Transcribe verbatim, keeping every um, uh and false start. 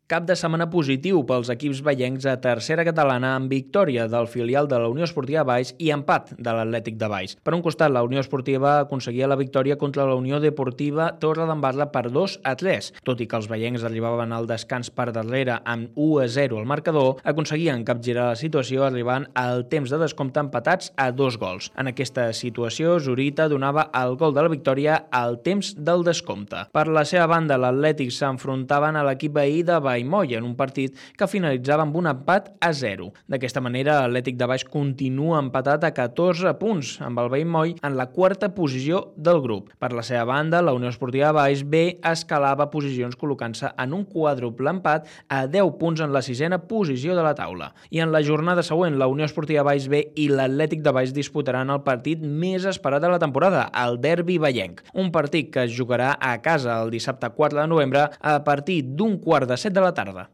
Cap de setmana positiu pels equips vallencs a tercera catalana amb victòria del filial de la Unió Esportiva Valls i empat de l'Atlètic de Valls. Per un costat, la Unió Esportiva aconseguia la victòria contra la Unió Deportiva Torredembarra per dos a tres. Tot i que els vallencs arribaven al descans per darrere amb u a zero al marcador, aconseguien capgirar la situació arribant al temps de descompte empatats a dos gols. En aquesta situació, Zurita donava el gol de la victòria al temps del descompte. Per la seva banda, l'Atlètic s'enfrontaven a l'equip veí de Valls Moll en un partit que finalitzava amb un empat a zero. D'aquesta manera, l'Atlètic de Valls continua empatat a catorze punts amb el Valls Moll en la quarta posició del grup. Per la seva banda, la Unió Esportiva Valls B escalava posicions col·locant-se en un quàdruple empat a deu punts en la sisena posició de la taula. I en la jornada següent, la Unió Esportiva Valls B i l'Atlètic de Valls disputaran el partit més esperat de la temporada, el derbi vallenc. Un partit que es jugarà a casa el dissabte quatre de novembre a partir d'un quart de set de la tarda.